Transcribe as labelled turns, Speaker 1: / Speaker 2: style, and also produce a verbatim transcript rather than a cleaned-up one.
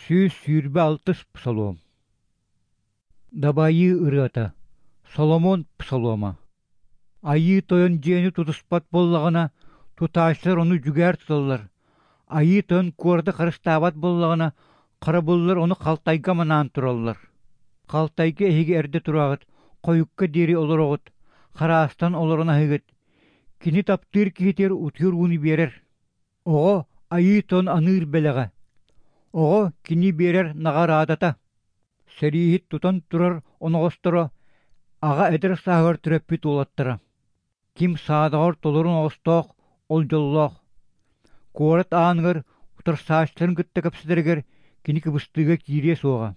Speaker 1: Сүүс сүүрбэ алтыс псалом. Дабайыы ырыата. Соломон псалома. Айыы Тойон дьиэни тутуспат буоллаҕына, тутааччылар ону дьүгээр туталлар. Айыы Тойон куораты харыстаабат буоллаҕына, харабыллар ону халтайга манаан тураллар. Халтайга эһиги эрдэ тураҕыт, хойукка диэри олороҕут, хараастан олорон аһыыгыт. Кини таптыыр киһитигэр утуйар ууну биэрэр. Оҕо Айыы Тойон аныыр бэлэҕэ. Оҕо кини биэрэр наҕараадата. Сэрииһит тутан турар оноҕосторо, аҕа эдэр сааһыгар төрөппүт уолаттара. Ким саадаҕар толору оноҕостоох, ол дьоллоох. Куорат ааныгар утарсааччыларын кытта кэпсэтэригэр кини кыбыстыыга киириэ суоҕа.